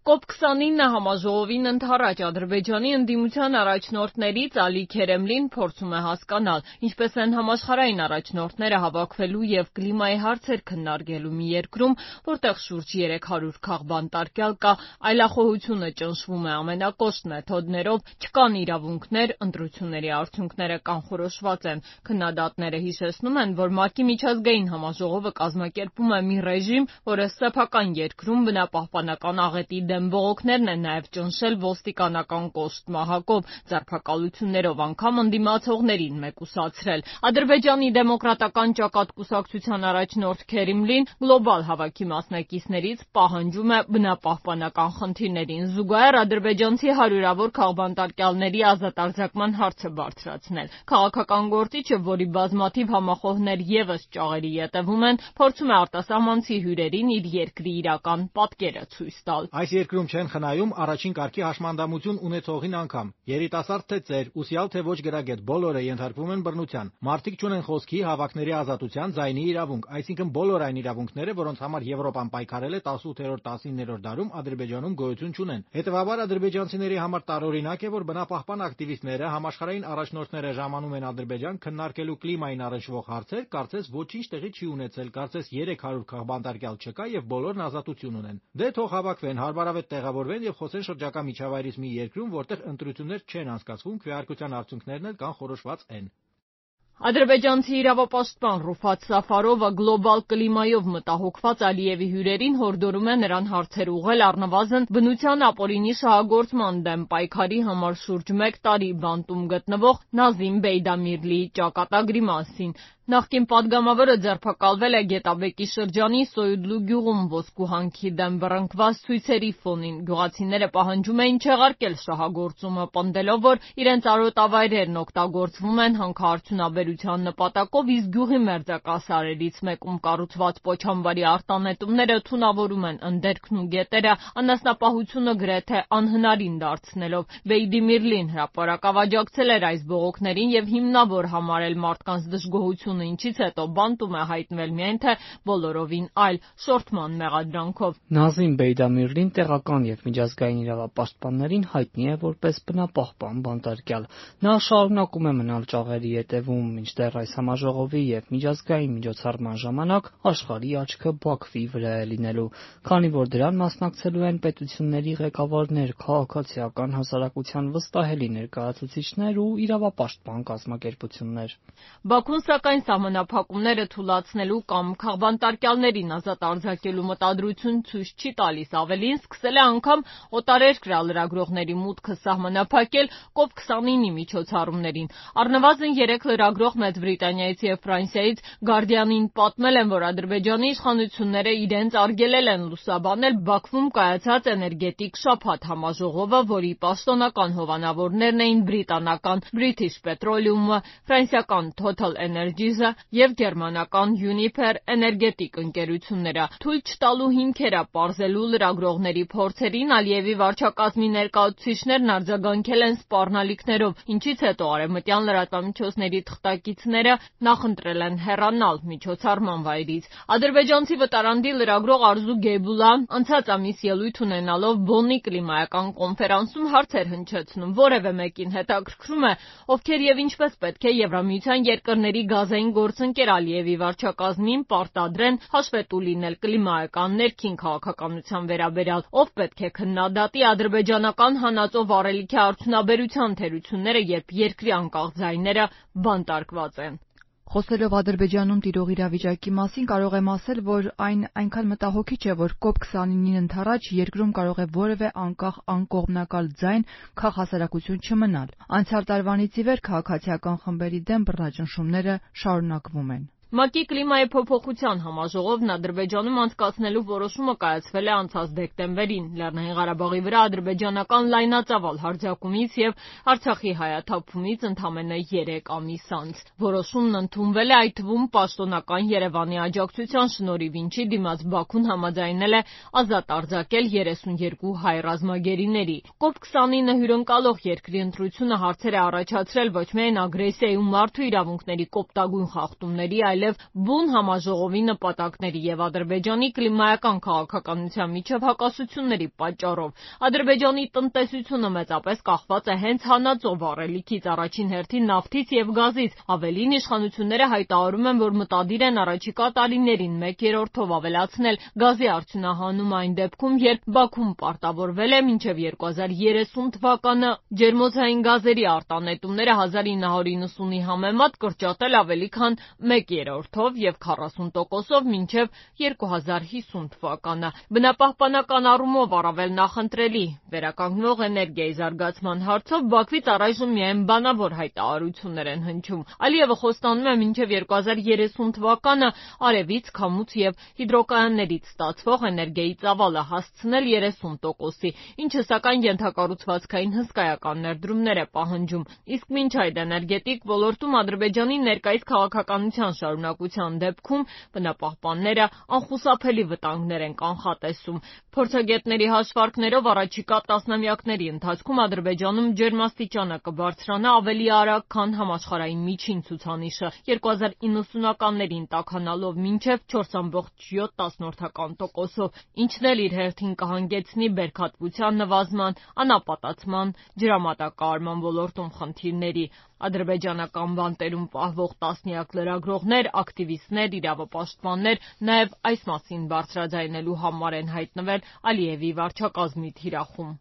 COP29 համաժողովին ընդառաջ Ադրբեջանի ընդդիմության առաջնորդներից Ալի Քերեմլին փորձում է հասկանալ, ինչպես են համաշխարհային առաջնորդները հավաքվելու եւ կլիմայի հարցեր քննարկելու մի երկրում, որտեղ շուրջ 300 քաղբանտարկյալ կա, այլախոհությունը ճնշվում է ամենակոշտ մեթոդներով, չկան իրավունքներ, ընտրությունների արդյունքները կանխորոշված են։ Քննադատները հիշեցնում են, որ ՄԱԿ-ի միջազգային համաժողովը կազմակերպում է մի ռեժիմ, որը սեփական երկրում բնապահպանական աղետի դեմ բողոքներն են նաև ճնշել ոստիկանական կոշտ մահակով, ձերբակալություններով անգամ ընդդիմացողներին մեկուսացրել։ Ադրբեջանի դեմոկրատական ճակատ կուսակցության առաջնորդ Քերեմլին գլոբալ հավաքի մասնակիցներից պահանջում է բնապահպանական խնդիրներին զուգահեռ ադրբեջանցի հարյուրավոր քաղբանտարկյալների ազատ արձակման հարցը բարձրացնել։ Քաղաքական գործիչը, որի բազմաթիվ համախոհներ ևս ճաղերի ետևում են, փորձում է արտասահմանցի հյուրերին իր երկրի իրական պատկերը ցույց տալ։ Այս երկրում չեն խնայում առաջին կարգի հաշմանդամություն ունեցողին անգամ։ Երիտասարդ թե ծեր, ուսյալ թե ոչ գրագետ, բոլորը ենթարկվում են բռնության։ Մարդիկ չունեն խոսքի, հավաքների ազատության, ձայնի իրավունք, այսինքն բոլոր այն իրավունքները, որոնց համար Եվրոպան պայքարել է 18-19-րդ դարում, Ադրբեջանում գոյություն չունեն։ Հետևաբար ադրբեջանցիների համար տարօրինակ է, որ բնապահպան ակտիվիստները, համաշխարհային առաջնորդները ժամանում են Ադրբեջան քննարկելու կլիմային առնչվող հարցեր, կարծես ոչինչ տեղի չի ունեցել, կարծես 300 քաղբանտարկյալ չկա եւ բոլորն ազատություն ունեն։ Դե թող հավաքվեն, հարմարավետ տեղավորվեն եւ խոսեն շրջակա միջավայրից մի երկրում, որտեղ ընտրություններ չեն անցկացվում, քվեարկության արդյունքներն էլ կանխորոշված են։ Ադրբեջանցի իրավապաշտպան Ռուֆատ Սաֆարովը գլոբալ կլիմայով մտահոգված Ալիևի հյուրերին հորդորում է նրան հարցեր ուղղել առնվազն բնության ապօրինի շահագործման դեմ պայքարի համար շուրջ 1 տարի բանտում գտնվող Նազիմ Բեյդամիրլիի ճակատագրի մասին։ Նախկին падգամավորը ձերբակալվել է Գետաբեկի շրջանի Սոյուդլու գյուղում ոսկու հանքի դեմ բռնկված ցույցերի ֆոնին։ Գյուղացիները պահանջում էին չեղարկել շահագործումը, պնդելով, որ իրենց արոտավայրերն օգտագործվում են հանքարդյունաբերության նպատակով, իսկ գյուղի մերձակա սարերից մեկում կառուցված պոչամբարի արտանետումները թունավորում են ընդերքն ու գետերը, անասնապահությունը գրեթե անհնարին դարձնելով։ Բեյդամիրլին հրապարակ աջակցել էր այս բողոքներին եւ հիմնավոր համարել մարդկանց դժգոհությունը, ինչից հետո բանտում է հայտնվել միայն թե բոլորովին այլ շորթման մեղադրանքով։ Նազիմ Բեյդամիրլին տեղական եւ միջազգային իրավապաշտպաններին հայտնի է որպես բնապահպան բանտարկյալ։ Նա շարունակում է մնալ ճաղերի ետևում, մինչդեռ այս համաժողովի եւ միջազգային միջոցառման ժամանակ աշխարհի աչքը Բաքվի վրա է լինելու, քանի որ դրան մասնակցելու են պետությունների ղեկավարներ, քաղաքացիական հասարակության վստահելի ներկայացուցիչներ ու իրավապաշտպան կազմակերպություններ։ Բաքուն սակայն սահմանափակումները թուլացնելու կամ քաղբանտարկյալներին ազատ արձակելու մտադրություն ցույց չի տալիս, ավելին սկսել է անգամ օտարերկրյա լրագրողների մուտքը սահմանափակել COP29-ի միջոցառումներին։ Առնվազն 3 լրագրող Մեծ Բրիտանիայից եւ Ֆրանսիայից Guardian-ին պատմել են, որ Ադրբեջանի իշխանությունները իրենց արգելել են լուսաբանել Բաքվում կայացած էներգետիկ շաբաթ համաժողովը, որի պաշտոնական հովանավորներն էին բրիտանական British Petroleum-ը, ֆրանսիական Total Energies-ը եւ գերմանական Uniper էներգետիկ ընկերությունները։ Թույլ չտալու հիմքերը պարզելու լրագրողների փորձերին Ալիևի վարչակազմի ներկայացուցիչներն արձագանքել են սպառնալիքներով, ինչից հետո արևմտյան լրատվամիջոցների թղթակիցները նախընտրել են հեռանալ միջոցառման վայրից։ Ադրբեջանցի վտարանդի լրագրող Արզու Գեյբուլան անցած ամիս ելույթ ունենալով Բոննի կլիմայական կոնֆերանսում հարցեր հնչեցնում, որևէ մեկին հետաքրքրում է, ովքեր եւ ինչպես պետք է Եվրամիության երկրների գազային գործընկեր Ալիևի վարչակազմին պարտադրեն հաշվետու լինել կլիմայական ներքին քաղաքականության վերաբերյալ, ով պետք է քննադատի ադրբեջանական հանածո վառելիքի արդյունաբերության թերությունները, երբ երկրի անկախ ձայները բանտարկված են։ Խոսելով Ադրբեջանում տիրող իրավիճակի մասին, կարող եմ ասել, որ այն այնքան մտահոգիչ է, որ COP29-ին ընդառաջ երկրում կարող է որևէ անկախ անկողմնակալ ձայն քաղաքասարակություն չմնալ։ Անցյալ տարվանից ի վեր քաղաքացիական խմբերի դեմ բռնաճնշումները շարունակվում են։ ՄԱԿ-ի կլիմայի փոփոխության համաժողովն Ադրբեջանում անցկացնելու որոշումը կայացվել է անցած դեկտեմբերին։ Լեռնային Ղարաբաղի վրա ադրբեջանական լայնածավալ հարձակումից եւ Արցախի հայաթափումից ընդամենը 3 ամիս անց։ Որոշումն ընդունվել է այդ թվում պաշտոնական Երևանի աջակցության շնորհիվ, ինչի դիմաց Բաքուն համաձայնել է ազատ արձակել 32 հայ ռազմագերիների։ COP29 հյուրընկալող երկրի ընտրությունը հարցեր է առաջացրել ոչ միայն ագրեսիայի ու մարդու իրավունքների կոպտագույն խախտումների, այլ այլև բուն համաժողովի նպատակների եւ Ադրբեջանի կլիմայական քաղաքականության միջև հակասությունների պատճառով։ Ադրբեջանի տնտեսությունը մեծապես կախված է հենց հանածո վառելիքից, առաջին հերթին նավթից եւ գազից։ Ավելին, իշխանությունները հայտարարում են, որ մտադիր են առաջիկա տարիներին 1/3-ով ավելացնել գազի արդյունահանումը այն դեպքում, երբ Բաքուն պարտավորվել է մինչև 2030 թվականը ջերմոցային գազերի արտանետումները 1990-ի համեմատ կրճատել ավելի քան 1/3-ով եւ 40%-ով մինչև 2050 թվականը։ Բնապահպանական առումով առավել նախընտրելի վերականգնվող էներգիայի զարգացման հարցով Բաքվից առայժմ միայն բանավոր հայտարարություններ են հնչում։ Ալիևը խոստանում է մինչև 2030 թվականը արևից, քամուց եւ հիդրոկայաններից ստացվող էներգիայի ծավալը հասցնել 30%-ի, ինչը սակայն ենթակառուցվածքային հսկայական ներդրումներ է պահանջում։ Իսկ մինչ այդ էներգետիկ ոլորտում Ադրբեջանի ներկայիս քաղաքականության շարունակության դեպքում բնապահպանները անխուսափելի վտանգներ են կանխատեսում։ Փորձագետների հաշվարկներով առաջիկա տասնամյակների ընթացքում Ադրբեջանում ջերմաստիճանը կբարձրանա ավելի արագ, քան համաշխարհային միջին ցուցանիշը, 2090-ականներին տաքանալով մինչև 4,7%-ով, ինչն էլ իր հերթին կհանգեցնի բերքատվության նվազման, անապատացման, ջրամատակարարման ոլորտում խնդիրների։ Ադրբեջանական բանտերում պահվող տասնյակ լրագրողներ, ակտիվիստներ, իրավապաշտպաններ նաև այս մասին բարձրաձայնելու համար են հայտնվել Ալիևի վարչակազմի թիրախում։